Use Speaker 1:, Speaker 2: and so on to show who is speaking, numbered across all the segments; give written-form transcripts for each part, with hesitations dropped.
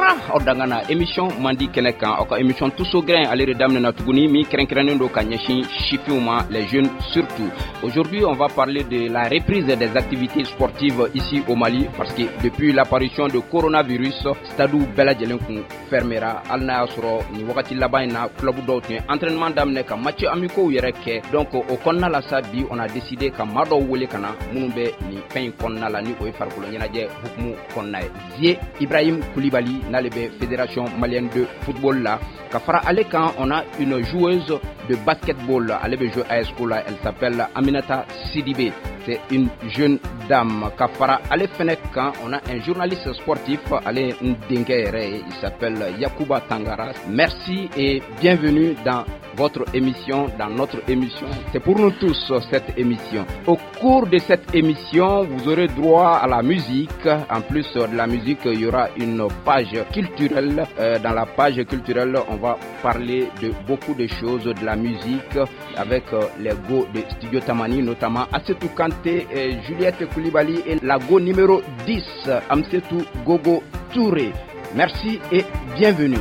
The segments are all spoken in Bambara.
Speaker 1: Kura aw dangana émission mandi kɛnɛ kan, aw ka émission Tous au grain ale de daminɛna tuguni, min kɛrɛnkɛrɛnnen don ka ɲɛsin sifinw ma, les jeunes surtout. Aujourd'hui, on va parler de la reprise des activités sportives ici au Mali, parce que depuis l'apparition de coronavirus, stade bɛɛ lajɛlen kun fermera, hali n'a y'a sɔrɔ nin wagati laban in na, club dɔw tun ye entraînement daminɛ ka match amicaux yɛrɛ kɛ. Donc o kɔnɔna la sa, bi on a décidé ka maa dɔw wele ka na minnu bɛ nin fɛn in kɔnɔna la, ni o ye farikolo ɲɛnajɛ hukumu kɔnɔna ye. Zie Ibrahim Koulibaly, n'ale bɛ Fédération malienne de football la. Ka fara ale kan, on a une joueuse de basketball, ale bɛ jouer AS la, elle s'appelle Aminata Sidibé, c'est une jeune dame. Ka fara ale fɛnɛ kan, on a un journaliste sportif, ale n denkɛ yɛrɛ ye, il s'appelle Yakuba Tangara. Merci et bienvenue dans votre émission, dans notre émission. C'est pour nous tous, cette émission. Au cours de cette émission, vous aurez droit à la musique. En plus de la musique, il y aura une page culturelle. Dans la page culturelle, on va parler de beaucoup de choses, de la musique, avec les go de Studio Tamani, notamment Assetou Kanté, et Juliette Koulibaly et la go numéro 10, Amsetou Gogo Touré. Merci et bienvenue.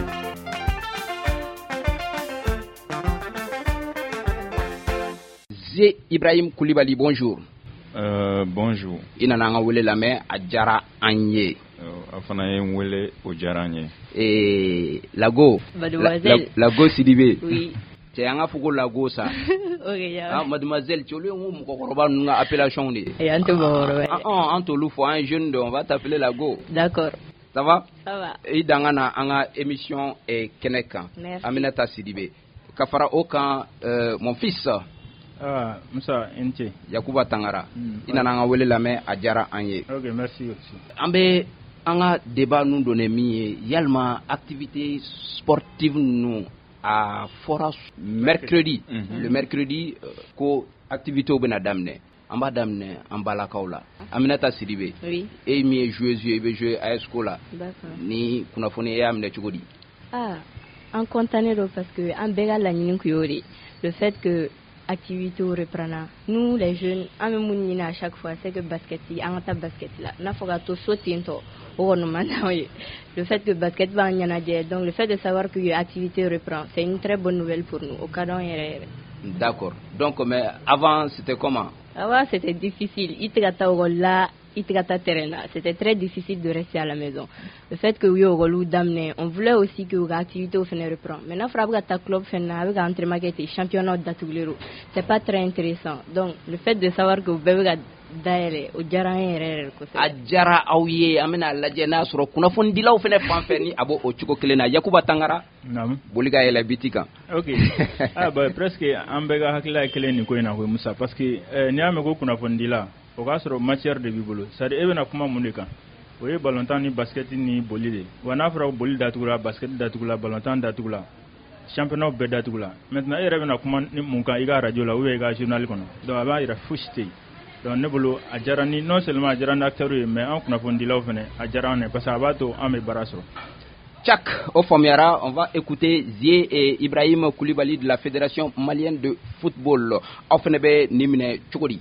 Speaker 1: Zé Ibrahim Koulibaly, bonjour.
Speaker 2: Bonjour.
Speaker 1: I nana an ka wele lamɛn, a diyara an ye.
Speaker 2: A fana ye n wele, o diyara an ye.
Speaker 1: Lago.
Speaker 3: Mademoiselle.
Speaker 1: Lago Sidibé.
Speaker 3: Oui.
Speaker 1: Cɛ, an ka fɔ ko Lago sa.
Speaker 3: Ok, ya.
Speaker 1: Ah, mademoiselle, cɛ, olu ye n ko mɔgɔkɔrɔba ninnu ka appellation de ye.
Speaker 3: Eh, an tɛ mɔgɔkɔrɔba ye.
Speaker 1: Ah, an t'olu fɔ, an ye jeune de, on va t'appeler Lago.
Speaker 3: D'accord.
Speaker 1: Ça va?
Speaker 3: Ça va.
Speaker 1: I dan ka na an ka émission kɛnɛ kan.
Speaker 3: Merci.
Speaker 1: Aminata Sidibé. Ka fara o kan, mon fils.
Speaker 4: Ah, Musa, i ni ce.
Speaker 1: Yakuba Tangara. I nana an ka wele lamɛn, a diyara an ye.
Speaker 4: Ok, merci aussi.
Speaker 1: An bɛ an ka débat nun don min ye, yalima activité sportive ninnu, a fɔra mercredi, le mercredi ko activité bɛna daminɛ. An b'a daminɛ an balakaw la. Aminata Sidibé.
Speaker 3: Oui.
Speaker 1: E min ye joueuse ye, i bɛ jouer AS la.
Speaker 3: D'accord.
Speaker 1: Ni kunnafoni e y'a minɛ cogo di?
Speaker 3: Ah, an content don parce que an bɛɛ ka laɲini kun y'o de ye. Le fait que activité reprend, nous les jeunes, an bɛ mun ɲini à chaque fois, c'est que basket, an ka taa basket la, n'a fɔ ka to so ten tɔ, o kɔni man d'anw ye. Le fait que basket b'an ɲɛnajɛ, donc le fait de savoir que activité reprend, c'est une très bonne nouvelle pour nous, o ka d'anw yɛrɛ yɛrɛ.
Speaker 1: D'accord. Donc, mais avant, c'était comment?
Speaker 3: Avant, c'était difficile. I tɛ ka taa école la, i tɛ ka taa terrain na. C'était très difficile de rester à la maison. Le fait que u ye école daminɛ, on voulait aussi que u ka activité fɛnɛ reprend. Mais n'a fɔra a bɛ ka taa club fɛnɛ na, a bɛ ka entraînement kɛ ten, championnat datugulen don, c'est pas très intéressant. Donc le fait de savoir que u bɛɛ bɛ ka dayɛlɛ, o diyara an ye yɛrɛ yɛrɛ kosɛbɛ.
Speaker 1: A diyara aw ye. An bɛna lajɛ n'a sɔrɔ kunnafonidilaw fɛnɛ fan fɛ ni a b'o o cogo kelen na. Yakuba Tangara.
Speaker 4: Naamu.
Speaker 1: Boli ka yɛlɛ biti kan.
Speaker 4: Ok. Ah, bah, presque an bɛɛ ka hakilila ye kelen nin ko in na koyi, Musa, parce que n'i y'a mɛn ko kunnafonidila, o k'a sɔrɔ matière de b'i bolo, c'est à dire e bɛna kuma mun de kan? O ye ballontan ni basket ni boli de. Wa n'a fɔra boli datugula, basket datugula, ballontan datugula, championnat bɛɛ datugula, maintenant e yɛrɛ bɛna kuma ni mun kan i ka radio la ou bien i ka journal kɔnɔ? Donc a b'a yira fosi tɛ yen. Donc ne bolo, a diyara ni, non seulement a diyara ni acteurs ye, mais an kunnafonidilaw fɛnɛ, a diyara an ye, parce que a b'a to an bɛ baara sɔrɔ.
Speaker 1: Tchak, au faamuyara, on va écouter Zie et Ibrahim Koulibaly de la Fédération malienne de football. Aw fɛnɛ bɛ nin minɛ cogo di?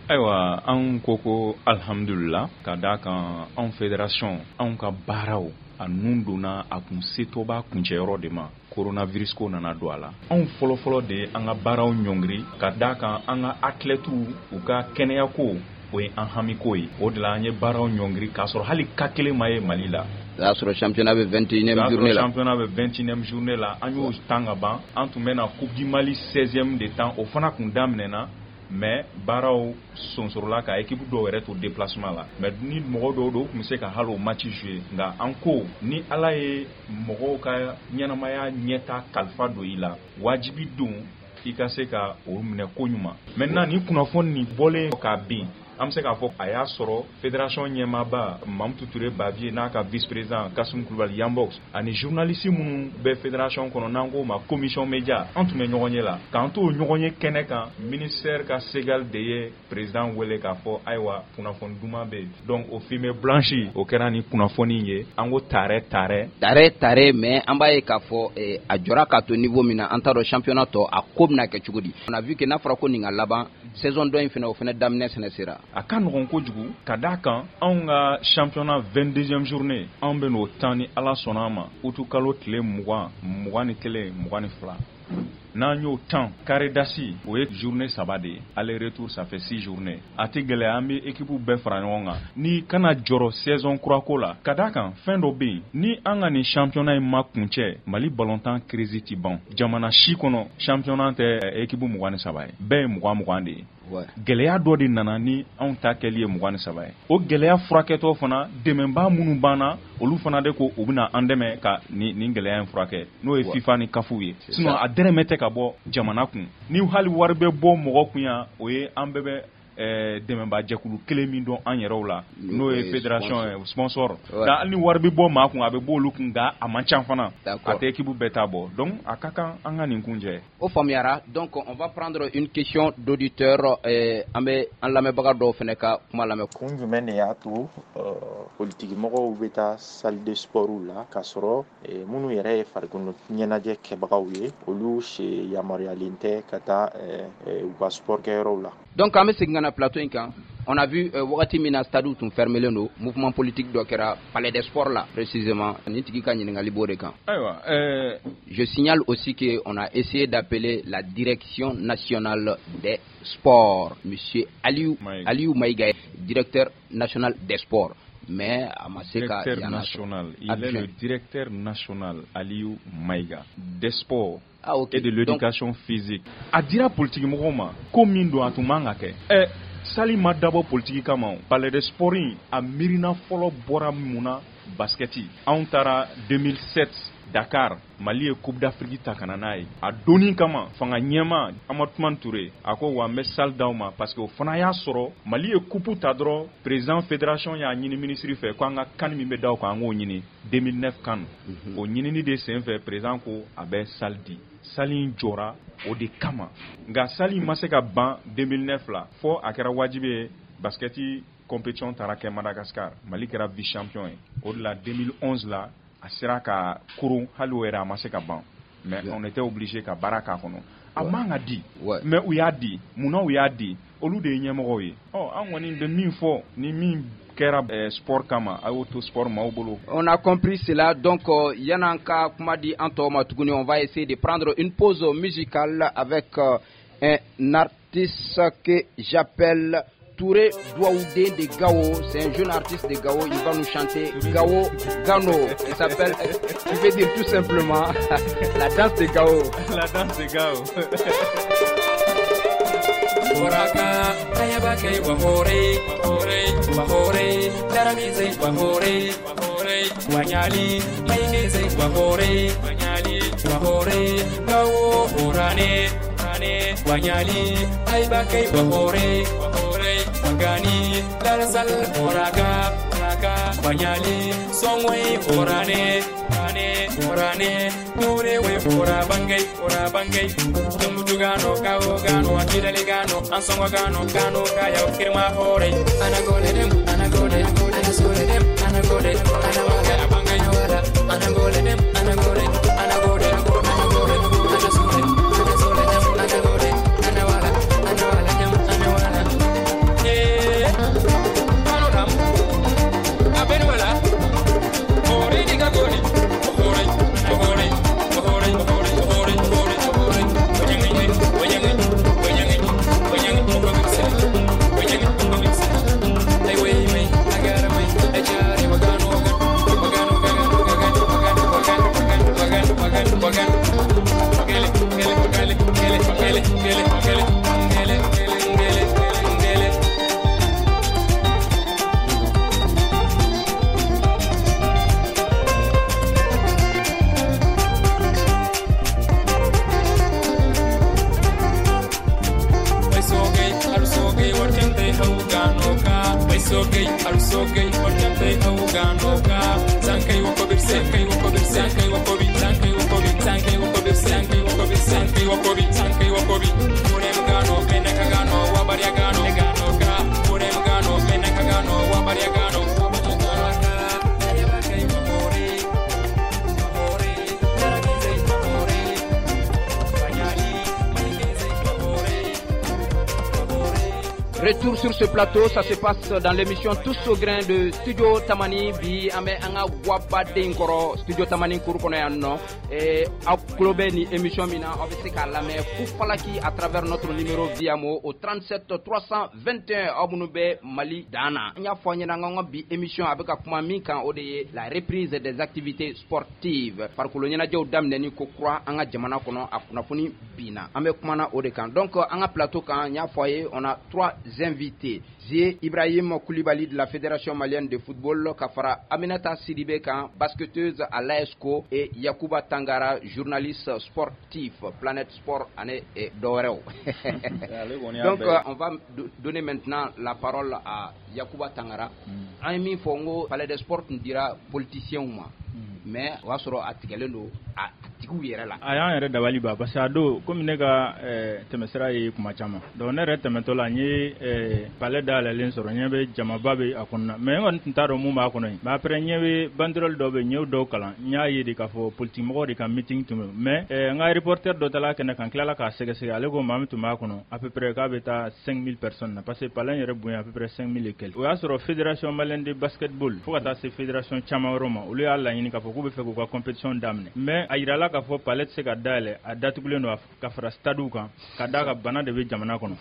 Speaker 2: Ayiwa, anw ko ko alhamdulila, ka d'a kan anw fédération, anw ka baaraw a nun donna a kun setɔ b'a kuncɛyɔrɔ de ma, coronavirus ko nana don a la. Anw fɔlɔfɔlɔ de ye an ka baaraw ɲɔngiri, ka d'a kan an ka athlètes u ka kɛnɛyako, o ye an hamiko ye. O de la an ye baaraw ɲɔngiri, k'a sɔrɔ hali ka kelen ma ye Mali la.
Speaker 1: O y'a sɔrɔ championnat bɛ 21e journée la.
Speaker 2: Championnat bɛ 21e journée la, an y'o tan ka ban. An tun bɛ na Coupe du Mali 16e de tan, o fana kun daminɛna, mais baaraw sonsorola ka équipe dɔw yɛrɛ to déplacement la. Mais ni mɔgɔ dɔw don, u tun bɛ se ka hali o match jouer. Nka an ko ni Ala ye mɔgɔw ka ɲɛnamaya ɲɛta kalifa don i la, wajibi don i ka se ka o minɛ ko ɲuman. Maintenant, ni kunnafoni nin bɔlen k'a bin, an bɛ se k'a fɔ a y'a sɔrɔ fédération ɲɛmaaba Mamutu Ture Bavier n'a ka vice président Kasum Kulubali Yanbox ani journaliste minnu bɛ fédération kɔnɔ, n'an k'o ma commission média, an tun bɛ ɲɔgɔn ye la. K'an to ɲɔgɔn ye kɛnɛ kan, ministère ka Segal de ye président wele k'a fɔ ayiwa, kunnafoni duman bɛ yen. Donc o fumée blanche, o kɛra ni kunnafoni ye. An ko tare tare.
Speaker 1: Tare tare, mais an b'a ye k'a fɔ a jɔra k'a to niveau min na, an t'a dɔn championnat tɔ a ko bɛna kɛ cogo di. On a vu que n'a fɔra ko nin ka laban saison dɔ in fɛnɛ, o fɛnɛ daminɛ sɛnɛ sera.
Speaker 2: A ka nɔgɔn kojugu ka d'a kan anw ka championnat 22e journée anw bɛ n'o tan ni Ala sɔnna a ma août kalo tile 20, 21, 22. N'an y'o tan carré d'as o ye journée 3 de ye, aller retour ça fait 6 journées. A tɛ gɛlɛya, an bɛ équipe bɛɛ fara ɲɔgɔn kan ni kana jɔrɔ saison kura ko la, ka d'a kan fɛn dɔ bɛ yen, ni an ka nin championnat in ma kuncɛ, Mali ballontan crise ti ban. Jamana si kɔnɔ championnat tɛ équipe 23 ye, bɛɛ ye 20 20 de ye. Gɛlɛya dɔ de nana ni anw ta kɛli ye 23 ye. O gɛlɛya furakɛtɔ fana, dɛmɛbaa minnu banna, olu fana de ko u bɛna an dɛmɛ ka nin gɛlɛya in furakɛ, n'o ye FIFA ni CAF ye. Sinon a dɛrɛmɛ tɛ ka bɔ jamana kun. Ni hali wari bɛ bɔ mɔgɔ kun yan, o ye an bɛɛ bɛ dɛmɛbaa jɛkulu kelen min dɔn an yɛrɛw la, n'o ye fédération ye, sponsor. Nka hali ni wari bɛ bɔ maa kun, a bɛ bɔ olu kun, nka a man ca fana, a tɛ équipe bɛɛ ta bɔ. Donc a ka kan an ka nin kuncɛ.
Speaker 1: O faamuyara. Donc on va prendre une question d'auditeur. An bɛ an lamɛnbaga dɔw fana ka kuma lamɛn.
Speaker 5: Kun jumɛn de y'a to politiki mɔgɔw bɛ taa salle de sport la k'a sɔrɔ minnu yɛrɛ ye farikolo ɲɛnajɛ kɛbagaw ye, olu yamaruyalen tɛ ka taa u ka sport kɛyɔrɔw la?
Speaker 1: Donc an bɛ segin ka na plateau in kan. On a vu wagati min na stade tun fermelen don, mouvement politique dɔ kɛra palais des sports la précisément. Nin tigi ka ɲininkali b'o de kan.
Speaker 2: Ayiwa,
Speaker 1: je signale aussi que on a essayé d'appeler la direction nationale des sports, monsieur Aliou
Speaker 2: Maïga.
Speaker 1: Aliou Maïga, directeur national des sports, mais a ma se ka
Speaker 2: Directeur national, il est le directeur national Aliou Maïga des sports.
Speaker 1: Ah, ok.
Speaker 2: Et de l'éducation physique. A dira politique mɔgɔw ma ko min don, a tun man ka kɛ. Salle ma dabɔ politique kama o. Palais des sports in, a miirina fɔlɔ bɔra mun na? Basketi. Anw taara 2007 Dakar, Mali ye Coupe d'Afrique ta ka na n'a ye. A donni kama, fanga ɲɛma Amadou Toumani Touré a ko wa n bɛ salle d'aw ma, parce que o fana y'a sɔrɔ Mali ye coupe ta dɔrɔn, président fédération y'a ɲini ministre fɛ ko an ka CAN min bɛ da o kan, an k'o ɲini, 2009 CAN. O ɲinini de senfɛ, président ko a bɛ salle di. Salle in jɔra o de kama, nka salle in ma se ka ban 2009 la, fo a kɛra wajibi ye basketi compétition taara kɛ Madagascar, Mali kɛra vice champion ye. O de la 2011 la a sera ka koron, hali o yɛrɛ a ma se ka ban, mais on était obligé ka baara k'a kɔnɔ. A man ka di, mais u y'a di. Munna u y'a di? Olu de ye ɲɛmɔgɔw ye. Ɔ, an kɔni bɛ min fɔ, ni min kɛra sport kama, a y'o to sport maaw bolo.
Speaker 1: On a compris cela. Donc yan'an ka kuma di an tɔw ma tuguni, on va essayer de prendre une pause musicale avec un artiste que j'appelle Touré Douaoudé de Gao. C'est un jeune artiste de Gao. Il va nous chanter Gao Gano. Il s'appelle, il veut dire tout simplement la danse de Gao.
Speaker 2: La danse de Gao.
Speaker 6: Boraka, ayabake, wahore, wahore, wahore, daramize, wahore, wahore, wanyali, mainize, wahore, wanyali, wahore, Gao, orane, orane, wanyali, ayabake, wahore, wahore, wagani, darsal, oraka, oraka, wanyali, songwe, orane, orane, orane, nure, we, ora bangay, ora bangay, Tumbutu gano, Gao gano, Akidali gano, Ansongo gano, Gano kaya, Kirma hore, Anagole dem, anagole, anasole dem, anagole, anawala, bangay, wala, anagole dem, anagole, anagole, anagole, anasole, anasole dem, anagole, anawala, anawala dem, anawala. Eh, gano dam, abenwala, hore diga gori, hore, hore, hore, hore, hore, hore, hore.
Speaker 1: Retour sur ce plateau, ça se passe dans l'émission Tous au grain de Studio Tamani. Bi an bɛ an ka guwabaden kɔrɔ Studio Tamani kuru kɔnɔ yan nɔ. Aw tulo bɛ nin émission min na, aw bɛ se k'a lamɛn Fufalaki à travers notre numéro via mo au 37 321, aw minnu bɛ Mali dan na. N y'a fɔ aw ɲɛna, n ka bi émission a bɛ ka kuma min kan, o de ye la reprise des activités sportives, farikolo ɲɛnajɛw daminɛni ko kura an ka jamana kɔnɔ. A kunnafoni binna, an bɛ kumana o de kan. Donc an ka plateau kan, n y'a fɔ a ye, on a trois invités: Zie Ibrahim Koulibaly de la Fédération malienne de football, ka fara Aminata Sidibé kan, basketteuse à l'ASCO, et Yakuba Tangara, journaliste sportif, Planète Sport ani dɔwɛrɛw. Donc on va donner maintenant la parole à Yakuba Tangara. An ye min fɔ, n ko palais des sports tun dira politiciens ma, mais o y'a sɔrɔ a tigɛlen don a tigiw yɛrɛ la.
Speaker 4: A y'an yɛrɛ dabali ban, parce que a don, komi ne ka tɛmɛsira ye kuma caman, donc ne yɛrɛ tɛmɛtɔ la, n ye palais dayɛlɛlen sɔrɔ, ɲɛ bɛ jamaba bɛ a kɔnɔna, mais n kɔni tun t'a dɔn mun b'a kɔnɔ yen. Mais après, ɲɛ bɛ banderole dɔ bɛ yen, n y'o dɔw kalan, n y'a ye de k'a fɔ politique mɔgɔw de ka meeting tun bɛ. Mais n ka reporter dɔ taara kɛnɛ kan, tilala k'a sɛgɛsɛgɛ, ale ko maa min tun b'a kɔnɔ, à peu près k'a bɛ taa 5000 personnes na, parce que palais yɛrɛ bonya à peu près 5000 et quelques. O y'a sɔrɔ Fédération malienne de basketball, fo ka taa se fédération caman wɛrɛw ma, olu y'a laɲini k'a fɔ k'u bɛ fɛ k'u ka compétition daminɛ. Mais a yirala k'a fɔ palais tɛ se ka dayɛlɛ, a datugulen don ka fara stade kan, ka d'a kan bana de bɛ jamana kɔnɔ.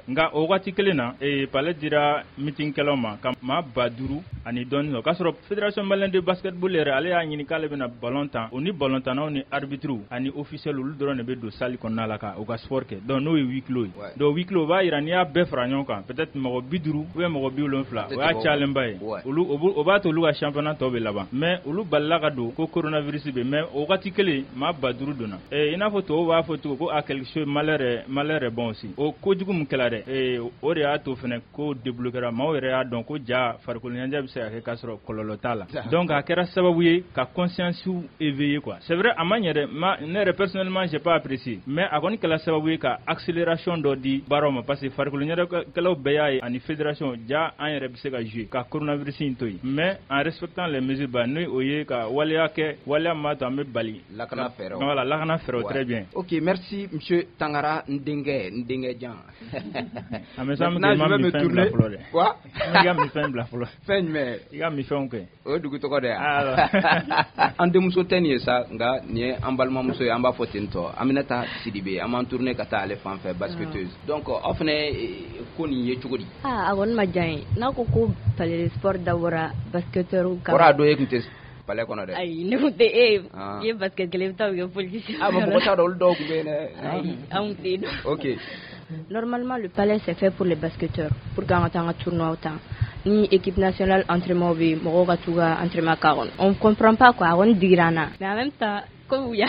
Speaker 4: Nka o waati kelen na, palais dira meeting kɛlaw ma ka maa 5000 ani dɔɔni sɔrɔ, k'a sɔrɔ Fédération malienne de basketball yɛrɛ, ale y'a ɲini k'ale bɛna ballon tan, o ni ballon tannaw ni arbitre ani officiel, olu dɔrɔn de bɛ don salle kɔnɔna la ka u ka sport kɛ. Donc n'o ye huis clos ye. Donc huis clos, o b'a yira n'i y'a bɛɛ fara ɲɔgɔn kan, peut-être mɔgɔ 50 ou bien mɔgɔ 70, o y'a cayalenba ye. Olu o b'a to olu ka championnat tɔ bɛ laban, mais olu balila ka don ko coronavirus bɛ. Mais o waati kelen, maa 5000 donna. I n'a fɔ tubabu b'a fɔ cogo ko a quelque chose malheur est bon aussi. O kojugu min kɛla dɛ, o de y'a to fɛnɛ ko débloquera, maaw yɛrɛ y'a dɔn ko ja farikolo ɲɛnajɛ bɛ se ka kɛ k'a sɔrɔ kɔlɔlɔ t'a la. Donc a kɛra sababu ye ka conscience éveiller, quoi. C'est vrai, a ma ɲɛ dɛ, ma ne yɛrɛ personnellement, j'ai pas apprécié, mais a kɔni kɛla sababu ye ka accélération dɔ di baaraw ma, parce que farikolo ɲɛnajɛkɛlaw bɛɛ y'a ye ani fédération ja an yɛrɛ bɛ se ka jouer ka coronavirus in to yen, mais en respectant les mesures ba, n'o o ye ka waleya kɛ, waleya min b'a to an bɛ bali.
Speaker 1: Lakana fɛɛrɛw.
Speaker 4: Voilà, lakana fɛɛrɛw, très bien.
Speaker 1: Ok, merci monsieur Tangara, n denkɛ, n denkɛ jan.
Speaker 4: A mais sa, ma mi fɛn bila fɔlɔ dɛ.
Speaker 1: Quoi?
Speaker 4: I ka mi fɛn bila fɔlɔ.
Speaker 1: Fɛn jumɛn?
Speaker 4: I ka mi fɛnw kɛ.
Speaker 1: O ye dugu tɔgɔ de ye. An denmuso tɛ nin ye sa, nka nin ye an balimamuso ye, an b'a fɔ ten tɔ, Aminata Sidibe. An b'an tourner ka taa ale fan fɛ, basketteuse. Donc aw fana ko nin ye cogo di?
Speaker 3: Ah, a kɔni ma diya n ye n'a ko ko palais de sport dabɔra basketteur
Speaker 1: kama. Kɔrɔ a don e tun tɛ palais kɔnɔ dɛ.
Speaker 3: Ayi, ne tun tɛ e ye basket kelen, i bɛ taa o kɛ politicien.
Speaker 1: Ah, mɔgɔ t'a dɔn, olu dɔw tun bɛ yen dɛ.
Speaker 3: Ayi, anw tɛ yen nɔ.
Speaker 1: Ok.
Speaker 3: Normalement, le palais, c'est fait pour les basketteurs, pour qu'an ka taa an ka tournoi ta. Ni équipe nationale entraînement bɛ yen, mɔgɔw ka t'u ka entraînement k'a kɔnɔ. On comprend pas, quoi. A kɔni digira an na. Mais en même temps, comme u y'a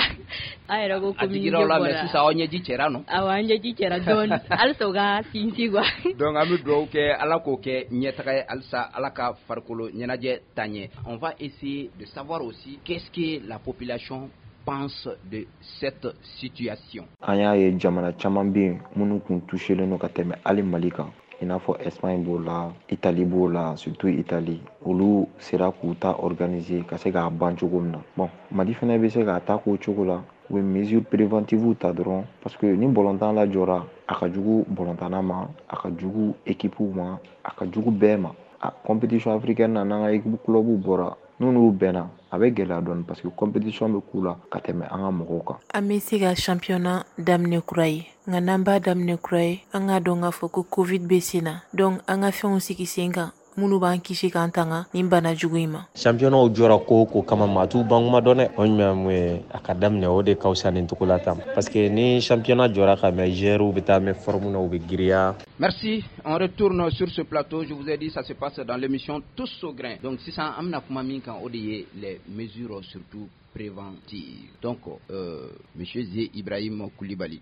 Speaker 3: an yɛrɛ ko
Speaker 1: A digira aw la, mais sisan aw ɲɛji cɛra nɔ?
Speaker 3: Awɔ, an ɲɛji cɛra dɔɔni. Halisa u ka sinsin, quoi.
Speaker 1: Donc an bɛ dugawu kɛ, Ala k'o kɛ ɲɛtaga ye halisa, Ala ka farikolo ɲɛnajɛ taa ɲɛ. On va essayer de savoir aussi qu'est-ce que la population pense de cette situation.
Speaker 5: An y'a ye jamana caman bɛ yen minnu kun touchelen don ka tɛmɛ hali Mali kan, i n'a fɔ Espagne b'o la, Italie b'o la, surtout Italie. Olu sera k'u ta organiser ka se k'a ban cogo min na. Bon, Mali fɛnɛ bɛ se k'a ta k'o cogo la, u bɛ mesure préventive ta dɔrɔn, parce que ni bɔlɔntan lajɔra, a ka jugu bɔlɔntanna ma, a ka jugu équipe ma, a ka jugu bɛɛ ma. A compétition africaine na, n'an ka équipe club bɔra, n'u n'u bɛnna, a bɛ gɛlɛya dɔɔni, parce que compétition bɛ k'u la ka tɛmɛ an ka mɔgɔw kan.
Speaker 7: An bɛ se ka championnat daminɛ kura ye, nka n'an b'a daminɛ kura ye, an k'a dɔn k'a fɔ ko Covid bɛ sen na. Donc an ka fɛnw sigi sen kan minnu b'an kisi k'an tanga nin bana jugu in ma.
Speaker 8: Championnat jɔra ko o ko kama, maa t'u ban kuma dɔn dɛ. O ɲuman ye mun ye, a ka daminɛ, o de ka fisa nin cogo la tan, parce que ni championnat jɔra ka mɛn, joueurs bɛ taa mɛn forme na, u bɛ giriya.
Speaker 1: Merci. On retourne sur ce plateau. Je vous ai dit, ça se passe dans l'émission Tous au grain. Donc, sisan an bɛna kuma min kan, o de ye les mesures surtout préventives. Donc, monsieur Zé Ibrahim Koulibaly,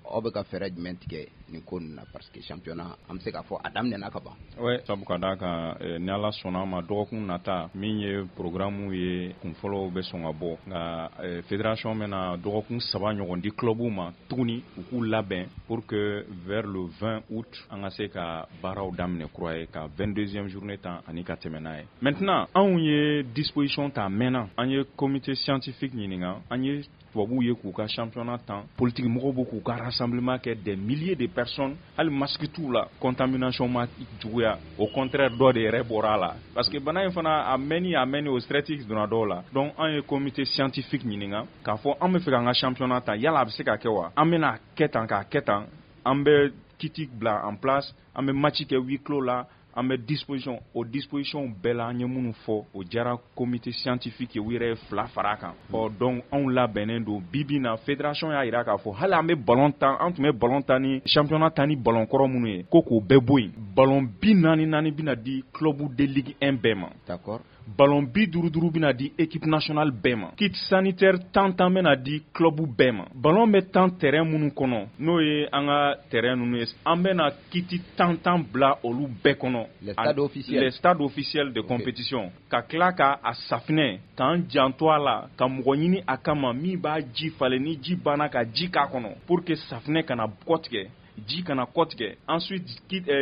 Speaker 1: aw bɛ ka fɛɛrɛ jumɛn tigɛ nin ko ninnu na? Parce que championnat, an bɛ se k'a fɔ a daminɛna ka ban.
Speaker 2: Ouais, sabu ka d'a kan, ni Ala sɔnna a ma, dɔgɔkun nata min ye programme ye, kunfɔlɔw bɛ sɔn ka bɔ, nka fédération bɛna dɔgɔkun 3 ɲɔgɔn di club ma tuguni, u k'u labɛn pour que vers le 20 août an ka se ka baaraw daminɛ kura ye, ka 22e journée tan ani ka tɛmɛ n'a ye. Maintenant, anw ye disposition ta a mɛnna, an ye comité scientifique ɲininka. An ye tubabuw ye k'u ka championnat tan, politique mɔgɔw b'u k'u ka rassemblement kɛ, des milliers de personnes, hali masque t'u la, contamination ma juguya, au contraire dɔ de yɛrɛ bɔra a la, parce que bana in fana a mɛnni o stress donna dɔw la. Donc an ye comité scientifique ɲininka k'a fɔ an bɛ fɛ k'an ka championnat tan, yala a bɛ se ka kɛ wa? An bɛna kɛ tan k'a kɛ tan, an bɛ kit bila en place, an bɛ match kɛ huis clos la, an bɛ disposition, o disposition bɛɛ la an ye minnu fɔ, o diyara comité scientifique ye, u yɛrɛ ye 2 fara a kan. Ɔ donc anw labɛnnen don bi bi na. Fédération y'a jira k'a fɔ hali an bɛ ballon tan, an tun bɛ ballon tan ni championnat tan ni ballon kɔrɔ minnu ye, ko k'o bɛɛ bɔ yen. Ballon 44 bɛna di club de Ligue 1 bɛɛ ma.
Speaker 1: D'accord.
Speaker 2: Ballon 55 bɛna di équipe nationale bɛɛ ma. Kit sanitaire 10 bɛna di club bɛɛ ma. Ballon bɛ tan terrain minnu kɔnɔ, n'o ye an ka terrain ninnu ye, an bɛna kit 10 bila olu bɛɛ kɔnɔ.
Speaker 1: Les stades officiels.
Speaker 2: Les stades officiels de compétition. Ka tila ka a safinɛ, k'an janto a la, ka mɔgɔ ɲini a kama min b'a ji falen, ni ji banna ka ji k'a kɔnɔ, pour que safinɛ kana kɔ tigɛ, ji kana kɔ tigɛ, ensuite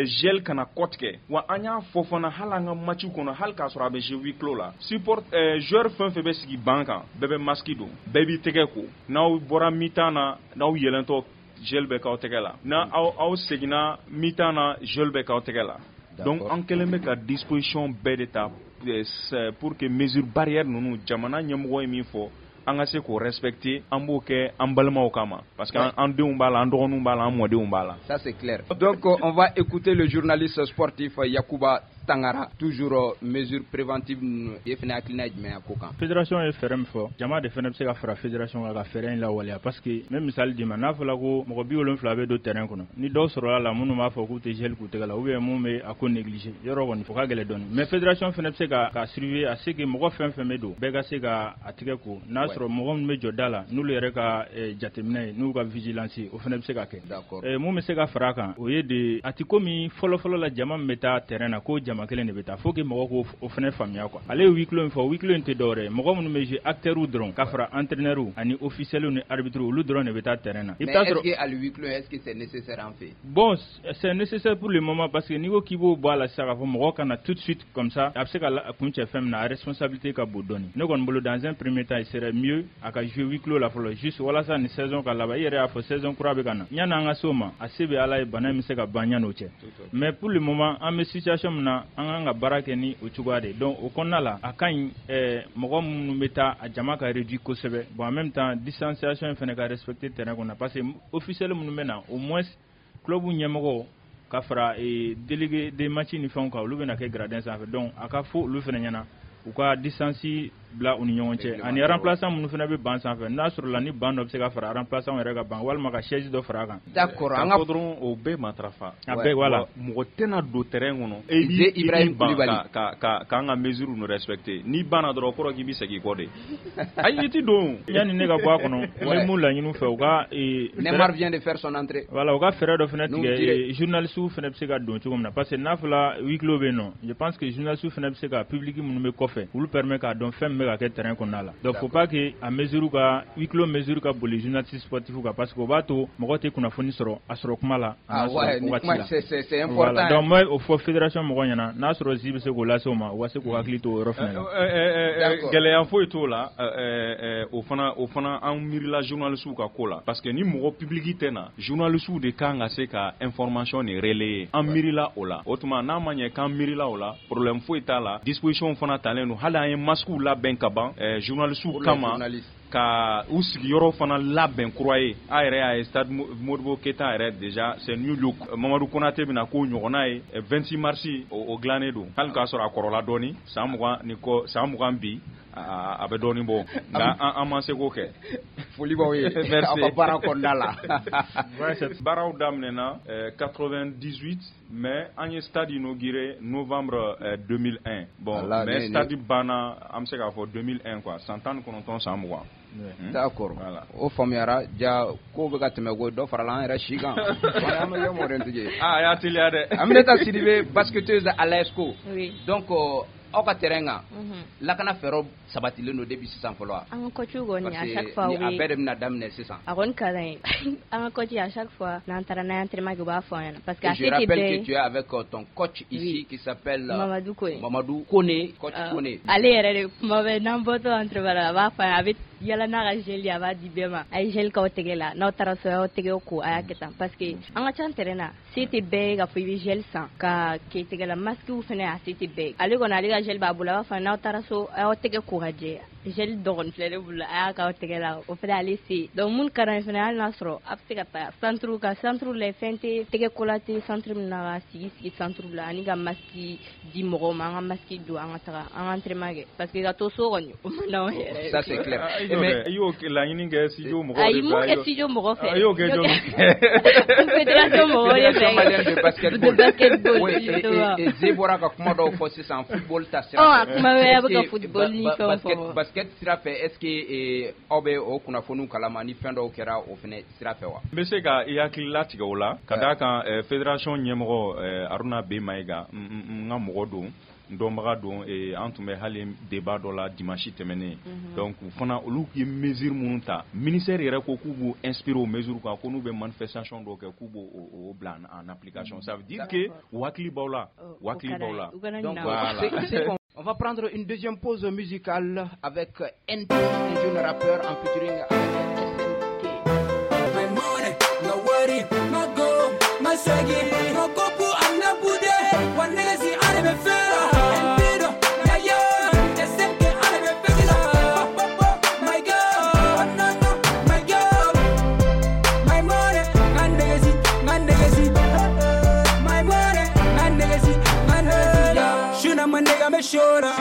Speaker 2: gel kana kɔ tigɛ. Wa an y'a fɔ fana hali an ka match kɔnɔ, hali k'a sɔrɔ a bɛ jouer huis clos la, support joueur fɛn fɛn bɛ sigi banc kan, bɛɛ bɛ masque don, bɛɛ b'i tɛgɛ ko, n'aw bɔra mi-temps na, n'aw yɛlɛntɔ gel bɛ k'aw tɛgɛ la, n'a aw seginna mi-temps na, gel bɛ k'aw tɛgɛ la. Donc an kɛlen bɛ ka disposition bɛɛ de ta pour que mesure barrière ninnu, jamana ɲɛmɔgɔ ye min fɔ, an ka se k'o respecter, an b'o kɛ an balimaw kama, parce que an denw b'a la, an dɔgɔninw b'a la, an mɔdenw b'a la.
Speaker 1: Ça c'est clair. Donc on va écouter le journaliste sportif Yakuba Tangara, toujours mesure préventive e fana hakilina ye jumɛn ye a ko kan?
Speaker 4: Fédération ye fɛɛrɛ min fɔ, jama de fana bɛ se ka fara fédération kan ka fɛɛrɛ in lawaleya, parce que n bɛ misali d'i ma, n'a fɔra ko mɔgɔ 70 bɛ don terrain kɔnɔ, ni dɔw sɔrɔla la minnu b'a fɔ k'u tɛ gel k'u tɛgɛ la, ou bien mun bɛ a ko négliger, yɔrɔ kɔni o ka gɛlɛn dɔɔni. Mais fédération fana bɛ se ka surveiller à ce que mɔgɔ fɛn fɛn bɛ don, bɛɛ ka se ka a tɛgɛ ko, n'a sɔrɔ mɔgɔ minnu bɛ jɔ da la, n'olu yɛrɛ ka jateminɛ ye, n'u ka vigilance ye, o fana bɛ se ka kɛ. Mun bɛ se ka fara a kan, o ye de a ti komi fɔlɔ-fɔlɔ la jama min bɛ taa terrain na, ko jama kelen de bɛ taa, faut que mɔgɔ k'o o fana faamuya quoi. Ale ye huis clos min fɔ, huis clos in tɛ dɔwɛrɛ ye, mɔgɔ minnu bɛ jouer, acteurs dɔrɔn, ka fara entraîneur ani officiels ni arbitres, olu dɔrɔn de bɛ taa terrain na.
Speaker 1: I bɛ taa sɔrɔ, est-ce que hali huis clos, est-ce que c'est nécessaire en fait?
Speaker 4: Bon, c'est nécessaire pour le moment, parce que n'i ko k'i b'o bɔ a la sisan k'a fɔ mɔgɔ ka na tout de suite comme ça, a bɛ se ka kuncɛ fɛn min na, a responsabilité ka bon dɔɔni. Ne kɔni bolo, dans un premier temps, il serait mieux a ka jouer huis clos la fɔlɔ, juste walasa ni saison ka laban. I yɛrɛ y'a fɔ, saison kura bɛ ka na, yanni an ka se o ma, a se bɛ Ala ye, bana in bɛ se ka ban yanni o cɛ. Mais pour le moment, an bɛ situation min na, an kan ka baara kɛ ni o cogoya de. Donc o kɔnɔna la, a ka ɲi mɔgɔ minnu bɛ taa, a jama ka réduit kosɛbɛ. Bon, en même temps, distanciation in fana ka respecter terrain kɔnɔ, parce que officiel minnu bɛ na, au moins club ɲɛmɔgɔw ka fara délégué de match ni fɛnw kan, olu bɛna kɛ gradin sanfɛ. Donc a ka fɔ olu fana ɲɛna u ka distance bila u ni ɲɔgɔn cɛ, ani remplaçant minnu fana bɛ banc sanfɛ, n'a sɔrɔ la ni banc dɔ bɛ se ka fara remplaçant yɛrɛ ka banc, walima ka chaise dɔ fara a kan.
Speaker 1: D'accord,
Speaker 2: an ka fɔ dɔrɔn o bɛɛ matarafa.
Speaker 4: A bɛɛ, voilà.
Speaker 2: Mɔgɔ tɛna don terrain kɔnɔ e b'i
Speaker 1: Ibrahim Coulibaly
Speaker 2: ka k'an ka mesure ninnu respecter. N'i banna dɔrɔn, o kɔrɔ k'i bɛ segin i kɔ de. Ayi, i ti don.
Speaker 4: Yanni ne ka bɔ a kɔnɔ, n bɛ mun laɲini u fɛ, u ka
Speaker 1: Neymar vient de faire son entrée.
Speaker 4: Voilà, u ka fɛɛrɛ dɔ fana tigɛ, journalistes fana bɛ se ka don cogo min na, parce que n'a fɔra huis clos bɛ yen nɔ, je pense que journalistes fana bɛ se ka public minnu bɛ kɔfɛ, olu permet k'a dɔn fɛn min bɛ ka kɛ terrain kɔnɔna la. Donc faut pas que a mesure ka huis clos mesure ka boli journaliste sportif kan, parce que o b'a to mɔgɔ tɛ kunnafoni sɔrɔ a sɔrɔ kuma la.
Speaker 1: Ah ouais, c'est important.
Speaker 4: Voilà, donc moi o fɔ fédération mɔgɔ ɲɛna, n'a sɔrɔ zi bɛ se k'o lase o ma, u ka se k'u hakili to o yɔrɔ fana la.
Speaker 2: Gɛlɛya foyi t'o la. O fana an miirila journalistes ka ko la, parce que ni mɔgɔ public tɛ na, journalistes de kan ka se ka information de relayer. An miirila o la. O tuma n'a ma ɲɛ k'an miirila o la, problème foyi t'a la. Disposition fana talen don, hali an ye masques labɛn ka ban journalistes kama, ka u sigiyɔrɔ fana labɛn kura ye. A yɛrɛ y'a ye, stade Modibo Keita yɛrɛ déjà c'est new look. Mamadu Konate bɛna k'o ɲɔgɔnna ye 26 mars, o dilannen don, hali k'a sɔrɔ a kɔrɔla dɔɔni, san 20 ni kɔ, san 20 bi, a bɛ dɔɔni bɔ, nka an ma se k'o kɛ.
Speaker 1: Foli b'aw ye aw ka baara kɔnɔna la.
Speaker 2: Baaraw daminɛna 98, mais an ye stade inauguré novembre 2001. Bon, mais stade banna, an bɛ se k'a fɔ 2001 quoi, san 19, san 20.
Speaker 1: D'accord, o faamuyara. Ja ko bɛ ka tɛmɛ, ko dɔ farala an yɛrɛ si kan, an bɛ kɛ mɔdentigi ye.
Speaker 2: Ah, a y'a teliya dɛ.
Speaker 1: Aminata Sidibe, basketteuse à l'ASCO.
Speaker 3: Oui.
Speaker 1: Donc Aw ka terrain kan, lakana fɛɛrɛw sabatilen don depuis sisan fɔlɔ wa?
Speaker 3: An ka coach kɔni, à chaque fois,
Speaker 1: a bɛɛ de bɛna daminɛ sisan.
Speaker 3: A kɔni ka d'an ye. An ka coach, à chaque fois n'an taara, n'an ye entraînement kɛ, u b'a fɔ an ɲɛna parce que a
Speaker 1: Je rappelle que tu es avec ton coach ici qui s'appelle
Speaker 3: Mamadou Kone.
Speaker 1: Mamadou Kone, coach Kone.
Speaker 3: Ale yɛrɛ de, kuma bɛɛ n'an bɔtɔ entraînement la, a b'a fɔ an ye, a bɛ yala n'a ka gel ye, a b'a di bɛɛ ma: a ye gel k'aw tɛgɛ la, n'aw taara so, a y'aw tɛgɛ ko, a y'a kɛ tan, parce que an ka ca terrain na, se tɛ bɛɛ ye k'a fɔ i bɛ gel san ka kɛ tɛgɛ la, masque fɛnɛ, a se tɛ bɛɛ ye. Ale kɔni, ale ka gel b'a bolo, a b'a fɔ n'aw taara so, a y'aw tɛgɛ ko ka jɛ, gel dɔgɔnin filɛ ne bolo, a y'a k'aw tɛgɛ la, o fɛnɛ ale se. Donc mun ka d'an ye fɛnɛ, hali n'a sɔrɔ a bɛ se ka taa centre ka centre la, fɛn tɛ tɛgɛ ko la, tɛ centre min na, ka sigi sigi centre la, ani ka masque di mɔgɔw ma, an ka masque don, an ka taga an ka entraînement kɛ, parce que ka to so kɔni, o man d'anw yɛrɛ.
Speaker 1: Ça, c'est clair.
Speaker 2: Mais i y'o laɲini kɛ studio mɔgɔw de
Speaker 3: fɛ? Ayi, m'o kɛ studio mɔgɔ fɛ.
Speaker 2: I y'o kɛ jɔn?
Speaker 3: Fédération mɔgɔw de fɛ.
Speaker 1: Fédération malienne de basketball.
Speaker 3: De basketball.
Speaker 1: Oui, et Ze bɔra ka kuma dɔw fɔ sisan football ta sira
Speaker 3: fɛ. Ɔ, kuma bɛɛ a bɛ ka football ni fɛnw
Speaker 1: fɔ. Basket sira fɛ, est ce que aw bɛ o kunnafoniw kalama ni fɛn dɔw kɛra o fɛnɛ sira fɛ wa?
Speaker 2: N bɛ se ka i hakili latigɛ o la, ka d'a kan fédération ɲɛmɔgɔ Haruna B Mayiga, n ka mɔgɔ don, n dɔnbaga don. An tun bɛ hali débat dɔ la dimanche tɛmɛnen. Donc u fana, olu ye mesure minnu ta, ministère yɛrɛ ko k'u b'u inspirer o mesure kan, ko n'u bɛ manifestation dɔw kɛ, k'u b'o o bila en application. Ça veut dire que u hakili b'aw la, u hakili b'aw la.
Speaker 1: Donc voilà. On va prendre une deuxième pause musicale avec NP, un jeune rappeur en featuring avec SNK.
Speaker 6: My money, no worry, my go, my swaggy, no kopu, I'm not bude, one nigga see I never feel. SNK, I never feel. My girl, no no, my girl, my money, my nigga see, my nigga see, my money, my nigga see, my nigga see. Shuna my nigga me shora,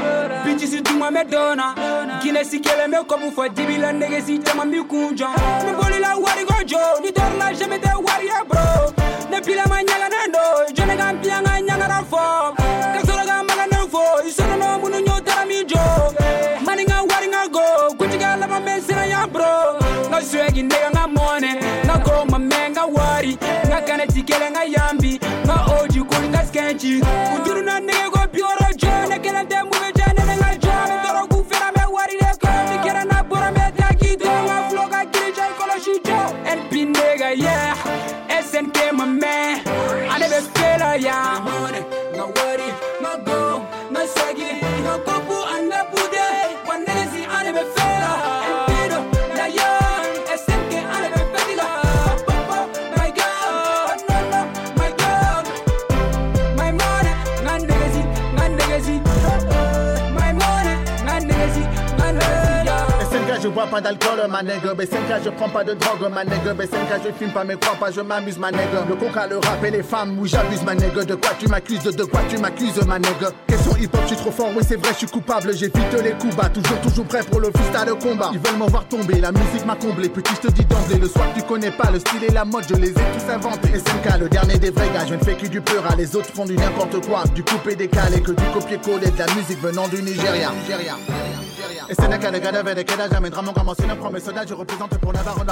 Speaker 6: bitches duma me dona, Guinness kele me kopu fo dibi la nigga si jama mi kunja. Me boli la wari go jo, ni dor la jamais de wari bro. Ne pila ma nyaga nando, jone ga mpianga nyaga na fo. Kasoro ga maga no fo, isono no munu nyota mi jo. Mani nga wari nga go, kujiga la ma mesina ya bro. Nga swegi nigga nga money, nga go ma me nga wari, nga kana tikele nga yambi, nga oji kuli nga skenchi. Uduru na nigga go bioro jo, ne kele de move jane nga jo, me toro ku fera me wari de ko, ni kera na bora me taki do, nga flow ga kiri jai kolo shi jo. NP nigga yeah, SNK my man, I never feel yeah. Money, nga wari, nga go, nga swaggy, nga kopu anga bude, one nigga si I never feel. NP do, la yeah, SNK I never feel. My girl, no no, my girl, my money, nga nigga si, nga nigga si, my money, nga nigga si, nga nigga si.
Speaker 9: SNK, je bois pas d'alcool, ma nègre. SNK, je prends pas de drogue, ma nègre. SNK, je fume pas, mais crois pas, je m'amuse, ma nègre. Le coca, le rap et les femmes, oui, j'abuse, ma nègre. De quoi tu m'accuses, de quoi tu m'accuses, ma nègre. Question hip-hop, je suis trop fort, oui, c'est vrai, je suis coupable. J'évite les coups bas, toujours, toujours prêt pour le freestyle de combat. Ils veulent m'en voir tomber, la musique m'a comblé. Petit, je te dis d'emblée, le soir, tu connais pas le style et la mode, je les ai tous inventés. SNK, le dernier des vrais gars, je ne fais que du pleura. Les autres font du n'importe quoi, du coupé décalé, que du copier-coller, de la musique venant du Nigeria. Nigeria. SNK, le gars avec je représente pour Navarre,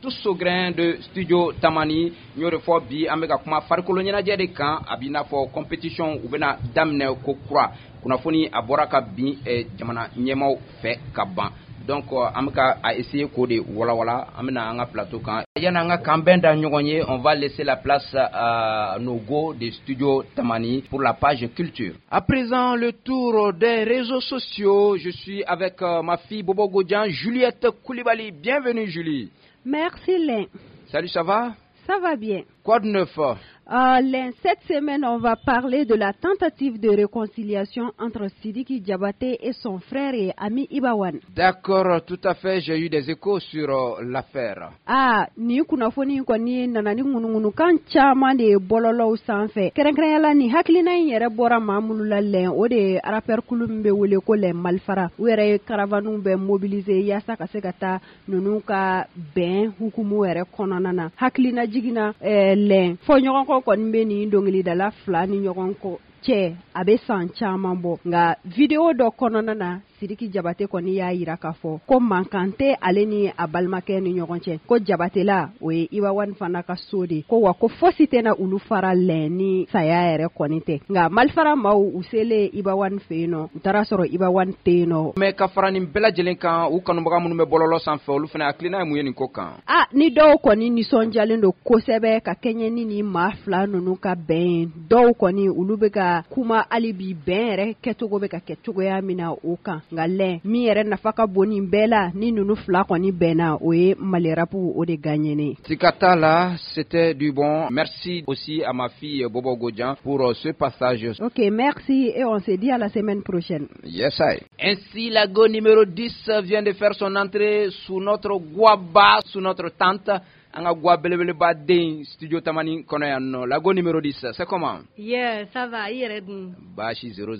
Speaker 1: Tous au grain de Studio Tamani, n y'o de fɔ bi, an bɛ ka kuma farikolo ɲɛnajɛ de kan, a b'i n'a fɔ compétition u bɛna daminɛ ko kura, kunnafoni a bɔra ka bin jamana ɲɛmaaw fɛ ka ban. Donc an bɛ ka a essayer k'o de walawala, an bɛna an ka plateau kan. Yani an ka kanbɛn da ɲɔgɔn ye, on va laisser la place à nos go de Studio Tamani pour la page culture. À présent, le tour des réseaux sociaux. Je suis avec ma fille Bobo Godian, Juliette Koulibaly. Bienvenue Julie.
Speaker 10: Merci Lin.
Speaker 1: Salut, ça va?
Speaker 10: Ça va bien.
Speaker 1: Quoi de neuf?
Speaker 10: Lin, cette semaine, on va parler de la tentative de réconciliation entre Sidiki Diabaté et son frère et ami Ibawan.
Speaker 1: D'accord, tout à fait. J'ai eu des échos sur l'affaire.
Speaker 10: Ah, ni kunnafoni kɔni nana ni ŋunuŋunukan caman de ye bɔlɔlɔw sanfɛ. Kɛrɛnkɛrɛnya la, ni hakilina in yɛrɛ bɔra maa minnu la lɛn, o de ye rappeur kulu min bɛ wele ko les Malfrats. U yɛrɛ ye caravane bɛɛ mobiliser yaasa ka se ka taa ninnu ka bɛn hukumu yɛrɛ kɔnɔna na. Hakilina jiginna lɛn, fɔ ɲɔgɔn kɔ kɔni bɛ nin dɔnkilidala fila ni ɲɔgɔn kɔ cɛ a bɛ san caman bɔ. Nka vidéo dɔ kɔnɔna na, Sidiki Jabate kɔni y'a yira k'a fɔ ko mankan tɛ ale ni a balimakɛ ni ɲɔgɔn cɛ, ko Jabatela o ye Iba One fana ka so de, ko wa ko fosi tɛna olu fara lɛn ni saya yɛrɛ kɔni tɛ. Nka Malifara maaw u selen Iba One fɛ yen nɔ, u taara sɔrɔ Iba One tɛ yen nɔ.
Speaker 1: Mais ka fara nin bɛɛ lajɛlen kan, u kanubaga minnu bɛ bɔlɔlɔ sanfɛ, olu fana hakilina ye mun ye nin ko kan?
Speaker 10: A ni dɔw kɔni nisɔndiyalen don kosɛbɛ ka kɛɲɛ ni nin maa fila ninnu ka bɛn ye, dɔw kɔni olu bɛ ka kuma hali bi bɛn yɛrɛ kɛcogo bɛ ka kɛ cogoya min na o kan. Nka lɛn min yɛrɛ nafa ka bon nin bɛɛ la, ni ninnu fila kɔni bɛnna, o ye Mali rap o de gagné.
Speaker 1: Siga t'a la, c'était du bon. Merci aussi à ma fille Bobo Godjan pour ce passage.
Speaker 10: Ok, merci et on se dit à la semaine prochaine.
Speaker 1: Yes, I. Ainsi, la go numéro 10 vient de faire son entrée sous notre guaba, sous notre tente. An ka gwa belebeleba den studio Tamani kɔnɔ yan nɔ. La go numéro 10, c'est comment?
Speaker 11: Yeah, ça va, i yɛrɛ dun?
Speaker 1: Baasi 000.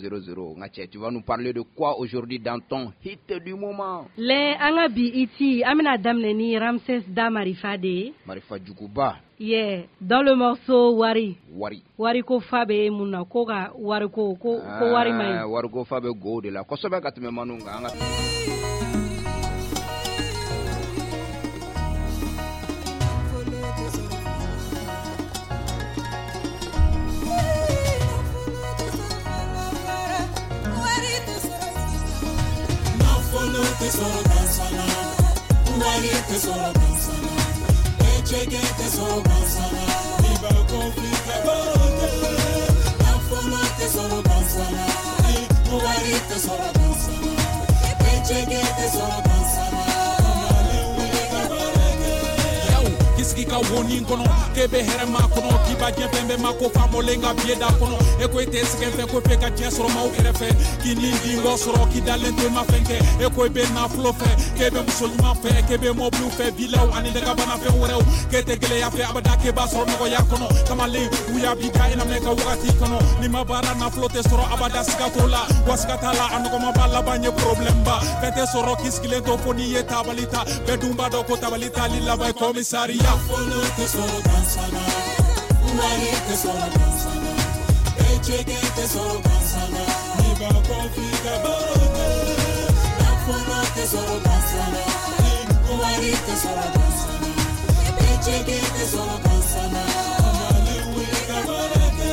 Speaker 1: Nka cɛ, tu vas nous parler de quoi aujourd'hui dans ton hit du moment?
Speaker 11: Lɛ an ka bi hit, an bɛna daminɛ ni Ramses Da Marifa de ye.
Speaker 1: Marifa juguba.
Speaker 11: Yeah, dans le morceau Wari.
Speaker 1: Wari.
Speaker 11: Wari ko fa bɛ mun na, ko ka wari ko ko ko wari man ɲi.
Speaker 1: Wari ko fa bɛ go de la kosɛbɛ ka tɛmɛ manu kan. An ka
Speaker 12: Tɛ sɔrɔ gansan na, wari tɛ sɔrɔ gansan na, eceke tɛ sɔrɔ gansan na, i b'a ko f'i ka baro kɛ. Nafolo tɛ sɔrɔ gansan na, wari tɛ sɔrɔ gansan na, eceke tɛ sɔrɔ gansan na, kamalen wuli ka baara kɛ.
Speaker 13: Yaw, k'i sigi ka wonin kɔnɔ, k'e bɛ hɛrɛ ma kɔnɔ, k'i b'a diɲɛ fɛn bɛɛ ma ko faamɔlen ka biye da kɔnɔ, e ko e tɛ sɛgɛn fɛ, ko f'e ka diɲɛ sɔrɔ maaw kɛrɛfɛ, k'i ni dingɔ sɔrɔ, k'i dalen to i ma fɛn kɛ, e ko i bɛ nafolo fɛ, k'e bɛ muso ɲuman fɛ, k'e bɛ mɔbiliw fɛ, vilaw ani dagabana fɛn wɛrɛw, k'e tɛ gɛlɛya fɛ abada, k'e b'a sɔrɔ nɔgɔya kɔnɔ, kamalen wuya b'i da i na mɛn ka wagati kɔnɔ, n'i ma baara nafolo tɛ sɔrɔ abada, siga t'o la, wa siga t'a la, a nɔgɔman b'a laban ye problème ba, fɛn tɛ sɔrɔ k'i sigilen to fo n'i ye tabali ta, bɛɛ dun b'a dɔn ko tabali tali laban ye commissariat.
Speaker 12: Nafolo tɛ sɔrɔ gansan na, wari tɛ sɔrɔ gansan na, eceke tɛ sɔrɔ gansan na,
Speaker 13: n'i b'a kɔ f'i ka baro kɛ.
Speaker 12: Nafolo tɛ sɔrɔ gansan na, wari tɛ sɔrɔ gansan na, eceke tɛ sɔrɔ gansan na,
Speaker 13: kamalen wuli ka baara kɛ.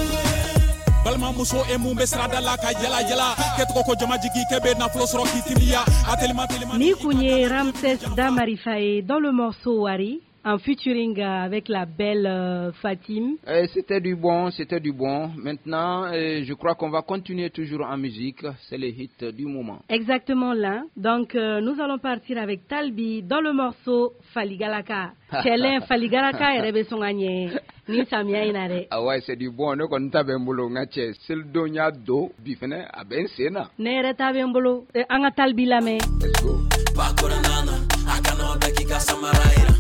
Speaker 13: Balimamuso e mun bɛ sirada la ka yala yala, kɛ tɔgɔ ko jamajigi, k'e bɛ nafolo sɔrɔ k'i timiya, a telima telima.
Speaker 11: Ni kun ye Ramses Da Marifa ye dans le morceau Wari, en featuring avec la belle Fatim.
Speaker 1: C'était du bon, c'était du bon. Maintenant, je crois qu'on va continuer toujours en musique. C'est le hit du moment.
Speaker 11: Exactement là. Donc, nous allons partir avec Talbi dans le morceau Faligalaka. Cɛlɛn Faligalaka yɛrɛ bɛ sɔn ka ɲɛ ni samiya in na dɛ.
Speaker 1: Ah ouais, c'est du bon. Ne kɔni ta bɛ n bolo n ka cɛ. Selidon y'a don bi fɛnɛ a bɛ n sen na.
Speaker 11: Ne yɛrɛ ta bɛ n bolo. An ka Talbi lamɛn.
Speaker 1: Let's go.
Speaker 12: Bakura nana, a kana bɛ k'i ka samara yira.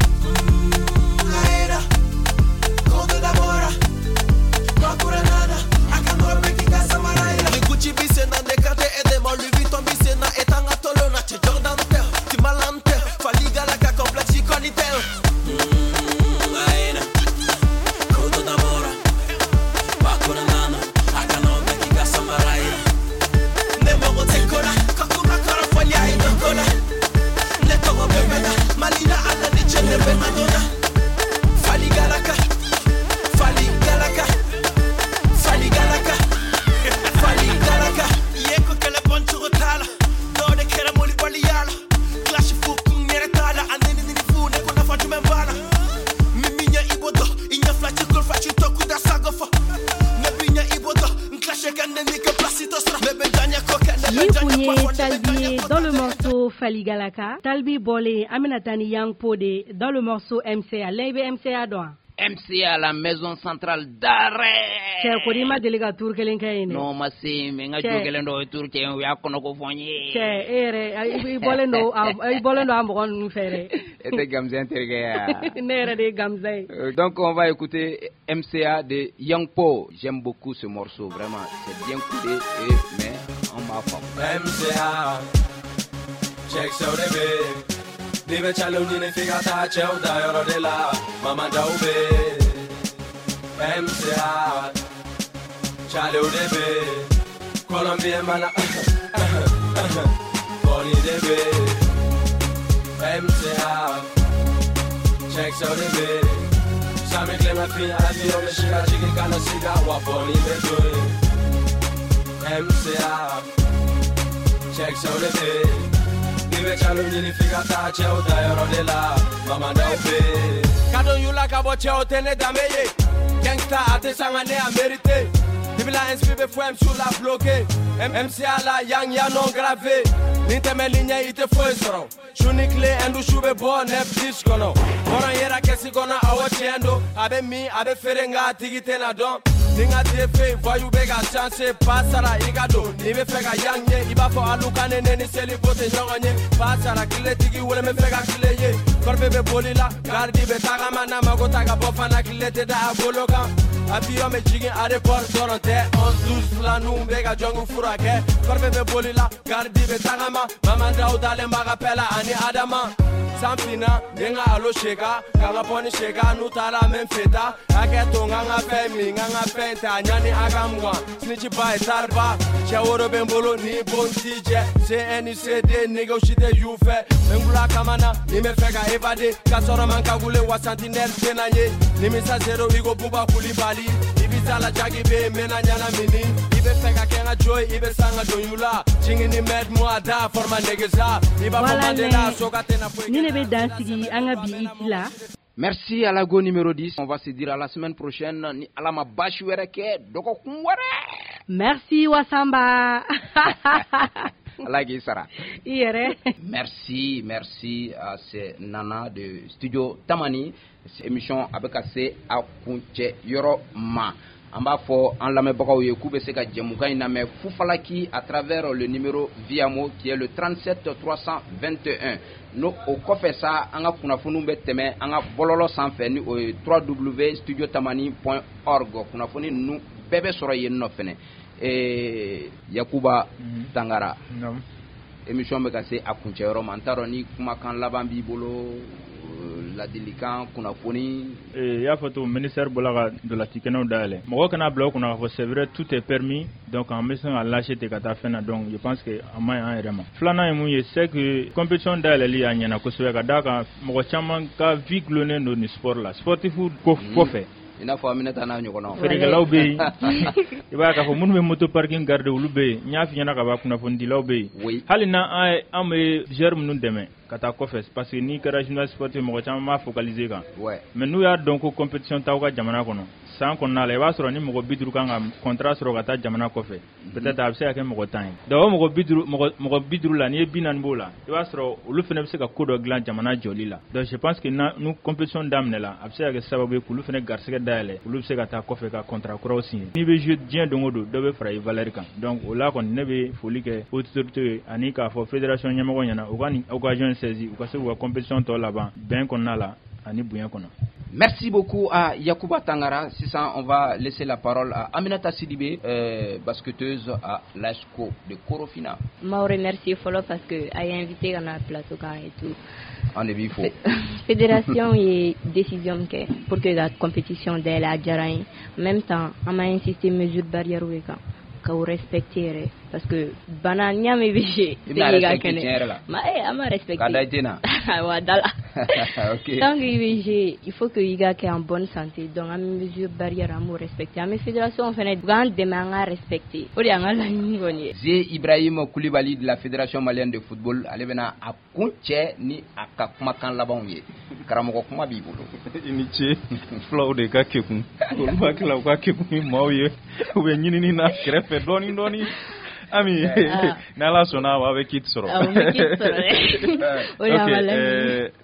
Speaker 11: Dans le morceau Faligalaka, Talbi bɔlen, an bɛna taa ni Yang Po de dans le morceau MCA. Lɛ i bɛ MCA dɔn wa?
Speaker 1: MCA, la maison centrale d'arrêt.
Speaker 11: Cɛ ko n'i ma deli ka tour kelen kɛ yen dɛ.
Speaker 1: Non, ma se mais n ka jo gɛlɛn dɔw ye tour kɛ, u y'a kɔnɔko fɔ n ye.
Speaker 11: Cɛ e yɛrɛ i bɔlen don i bɔlen don a mɔgɔ ninnu fɛ dɛ.
Speaker 1: E tɛ Gamzɛn terikɛ ye wa?
Speaker 11: Ne yɛrɛ de ye Gamzɛn ye.
Speaker 1: Donc on va écouter MCA de Yang Po. J'aime beaucoup ce morceau, vraiment, c'est bien coudé et mais on m'a faamu.
Speaker 14: MCA, cɛkisɛw de bɛ yen. N'i bɛ calew ɲini f'i ka taa cɛw dayɔrɔ de la, mama daw bɛ yen. MCA, Calew de bɛ Colombie mana Pɔni de bɛ MCA Cɛkisɛw de bɛ Sami tilema fin avion bɛ si ka jigin ka na siga wa pɔni bɛ to yen MCA Cɛkisɛw de bɛ N'i bɛ calo ɲini f'i ka taa cɛw da yɔrɔ de la Mamadaw bɛ Ka don yula ka bɔ cɛw tɛ ne danbe ye Gangsta a tɛ sanga ne a mérité Dibila inspi bɛ fɔ MC la bloqué MCA la yang ya non gravé Ni tɛmɛli ɲɛ i tɛ foyi sɔrɔ Su ni tile Hindu su bɛ bɔ 9-10 kɔnɔ Hɔrɔn yera kɛsi kɔnɔ awɔ tiɲɛ don A bɛ min a bɛ feere nka a tigi tɛna dɔn Ni n ka tefe voyou bɛ ka chance pa sara i ka don N'i bɛ fɛ ka yang ye i b'a fɔ alu ka ne ne ni seli bo tɛ ɲɔgɔn ye Pa sara tiletigi wele n bɛ fɛ ka tile ye Kɔrɔfe bɛ boli la gardi bɛ tagama n'a mago ta ka bɔ fana tile tɛ da a bolo kan Avion bɛ jigin aéroport dɔrɔn tɛ 11 12 filaninw bɛ ka jɔngu furakɛ Kɔrɔfe bɛ boli la gardi bɛ tagama Mamadaw dalen b'a ka pɛ la ani Adama San finna n ye n ka alo seka ka n ka pɔni seka n'u taara n bɛ n feta Hakɛ to n ka n ka fɛn min n ka n ka fɛn ta ɲani a ka mugan Snitch ba ye tariba cɛ woro bɛ n bolo ni bon t'i jɛ CNCD nɛgɛw si tɛ y'u fɛ N bɛ n kula kama na ni n bɛ fɛ ka évader ka sɔrɔ man kagule wa sentinelle tɛna ye Nimisa zéro i ko Buba Kulibali i bi sa la jagi bɛ yen n bɛna ɲɛnamini I bɛ fɛ ka kɛ n ka jo ye i bɛ san ka don y'u la Jigin ni mɛt mu a da forma negesa i b'a fɔ Mandela soka tɛna foyi
Speaker 11: Ni ne bɛ dan sigi an ka bi hit la.
Speaker 1: Merci à la go numéro 10. On va se dire à la semaine prochaine. Ni Ala ma baasi wɛrɛ kɛ dɔgɔkun wɛrɛ.
Speaker 11: Merci Wasamba.
Speaker 1: Ala k'i sara.
Speaker 11: I yɛrɛ.
Speaker 1: Merci, merci à ces Nana de Studio Tamani. Émission a bɛ ka se a kuncɛ yɔrɔ ma. An b'a fɔ an lamɛnbagaw ye k'u bɛ se ka jɛmukan in lamɛn Fufalaki à travers le numéro Viamo qui est le 37 321. N'o o kɔfɛ sa an ka kunnafoniw bɛ tɛmɛ an ka bɔlɔlɔ sanfɛ ni o ye www.studiotamani.org kunnafoni ninnu bɛɛ bɛ sɔrɔ yen nɔ fɛnɛ. Yakuba Tangara. Émission bɛ ka se a kuncɛ yɔrɔ ma n t'a dɔn ni kumakan laban b'i bolo ladilikan kunnafoni.
Speaker 4: I y'a fɔ cogo ministère bɔra ka ntolanci kɛnɛw dayɛlɛ mɔgɔ kana bila o kunna k'a fɔ c'est vrai tout est permis donc an bɛ se ka lâcher ten ka taa fɛn na donc je pense que a man ɲi an yɛrɛ ma. Filanan ye mun ye c'est que compétition dayɛlɛli a ɲɛna kosɛbɛ ka d'a kan mɔgɔ caman ka vie gulonnen don nin sport la sportif ko kɔfɛ.
Speaker 1: I n'a fɔ Aminata n'a ɲɔgɔnnaw.
Speaker 4: Feerekɛlaw bɛ yen i b'a ye k'a fɔ minnu bɛ moto parking garder olu bɛ yen n y'a f'i ɲɛna ka ban kunnafonidilaw bɛ yen. Hali n'an an bɛ joueur minnu dɛmɛ ka taa kɔfɛ parce que n'i kɛra journaliste sportif mɔgɔ caman b'a focaliser kan. Mais n'u y'a dɔn ko compétition t'aw ka jamana kɔnɔ san kɔnɔna la i b'a sɔrɔ ni mɔgɔ 50 kan ka contrat sɔrɔ ka taa jamana kɔfɛ peut-être a bɛ se ka kɛ mɔgɔ 10 ye donc o mɔgɔ 50 la n'i ye 40 b'o la i b'a sɔrɔ olu fana bɛ se ka ko dɔ dilan jamana jɔli la donc je pense que n'u compétition daminɛla a bɛ se ka kɛ sababu ye k'olu fana garisɛgɛ dayɛlɛ olu bɛ se ka taa kɔfɛ ka contrat kuraw signer n'i bɛ jouer diɲɛ don o don dɔ bɛ fara i valeur kan donc o la kɔni ne bɛ foli kɛ autorité ye ani k'a fɔ fédération ɲɛmɔgɔ ɲɛna u ka nin occasion saisir u ka se k'u ka compétition tɔ laban bɛn kɔnɔna la ani bonya kɔnɔ.
Speaker 1: Merci beaucoup à Yakuba Tangara. Sisan, on va laisser la parole à Aminata Sidibé, basketteuse à l'ASCO de Korofina.
Speaker 3: N b'aw remercier fɔlɔ parce que a ye invité ka na plateau kan et tout.
Speaker 1: An de b'i fo.
Speaker 3: Fédération ye décision min kɛ pour que ka compétition dayɛlɛ a diyara n ye. En même temps, an ma insister mesure barrière kan k'o respecter yɛrɛ parce que bana n'i y'a mɛn i bɛ jouer
Speaker 1: I bɛna respecter tiɲɛ yɛrɛ la.
Speaker 3: Ma an b'a respecter.
Speaker 1: Ka da i den na.
Speaker 3: Wa da la.
Speaker 1: Ok.
Speaker 3: Tant que i bɛ jouer, il faut que i ka kɛ en bonne santé donc an bɛ mesure barrière an b'o respecter an bɛ fédération fɛnɛ u k'an dɛmɛ an ka respecter o de y'an ka laɲini kɔni ye.
Speaker 1: Ze Ibrahim Koulibaly de la Fédération malienne de football ale bɛna a kun cɛ ni a ka kumakan labanw ye karamɔgɔ kuma b'i bolo.
Speaker 2: I ni ce fulaw de ka kekun olu b'a kila u ka kekun ni maaw ye u bɛ ɲinini na kɛrɛfɛ dɔɔni dɔɔni. Ami n'Ala sɔnna a bɛ kit sɔrɔ. Ok,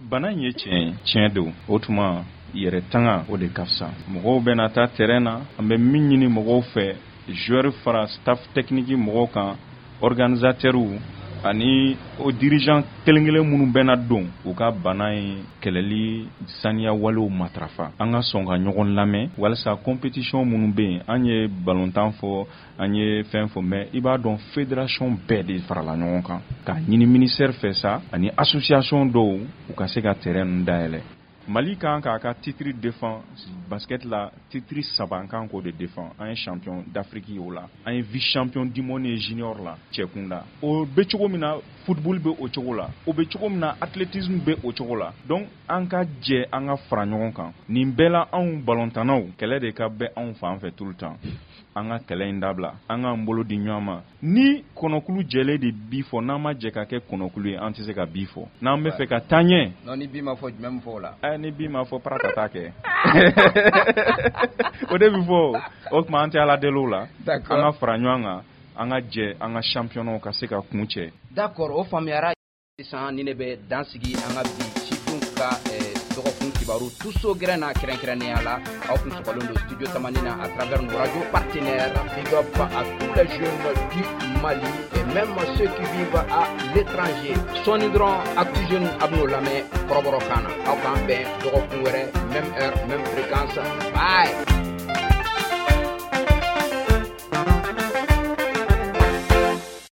Speaker 2: bana in ye tiɲɛ ye tiɲɛ don o tuma yɛrɛ tanga o de ka fisa mɔgɔw bɛna taa terrain na an bɛ min ɲini mɔgɔw fɛ joueur fara staff technique mɔgɔw kan organisateur ani o dirigeant kelen kelen minnu bɛna don u ka bana in kɛlɛli saniya walew matarafa an ka sɔn ka ɲɔgɔn lamɛn walasa compétition minnu bɛ yen an ye ballontan fɔ an ye fɛn fɔ mais i b'a dɔn fédération bɛɛ de farala ɲɔgɔn kan k'a ɲini ministère fɛ sa ani association dɔw u ka se ka terrain ninnu dayɛlɛ Mali kan k'a ka titre défend Basket la, titre saba, an kan k'o de défend. An ye champion d'Afrique ye o la, an ye vice champion du monde ye junior la cɛ kunda. O bɛ cogo min na, football bɛ o cogo la, o bɛ cogo min na, athlétisme bɛ o cogo la. Donc an ka jɛ, an ka fara ɲɔgɔn kan nin bɛɛ la. Anw balontannaw, kɛlɛ de ka bɛ anw fan fɛ tout le temps. An ka kɛlɛ in dabila, an k'an bolo di ɲɔgɔn ma. Ni kɔnɔkulu jɛlen de bi fɔ, n'an ma jɛ ka kɛ kɔnɔkulu ye, an tɛ se ka bi fɔ. N'an bɛ fɛ ka taa ɲɛ.
Speaker 1: Non, ni bi ma fɔ, jumɛn bɛ fɔ o la?
Speaker 2: Ɛ, ni bi ma fɔ, para ka taa kɛ, o de bɛ fɔ. O tuma an tɛ Ala deli o la. An ka fara ɲɔgɔn kan, an ka jɛ, an ka championnat ka se ka kun cɛ.
Speaker 1: D'accord, o faamuyara. Sisan ni ne bɛ dan sigi an ka bi sifinw ka dɔgɔkun kibaru tuso gɛrɛn na. Kɛrɛnkɛrɛnnenya la, aw kun sɔgɔlen don Studio Tamani na à travers nos radios partenaires. Big up à tous les jeunes du Mali et même ceux qui vivent à l'étranger. Sɔɔni dɔrɔn, Actu Jeune a bɛn'o lamɛn kɔrɔbɔrɔ kan na. Aw k'an bɛn dɔgɔkun wɛrɛ, même heure, même fréquence. Bye.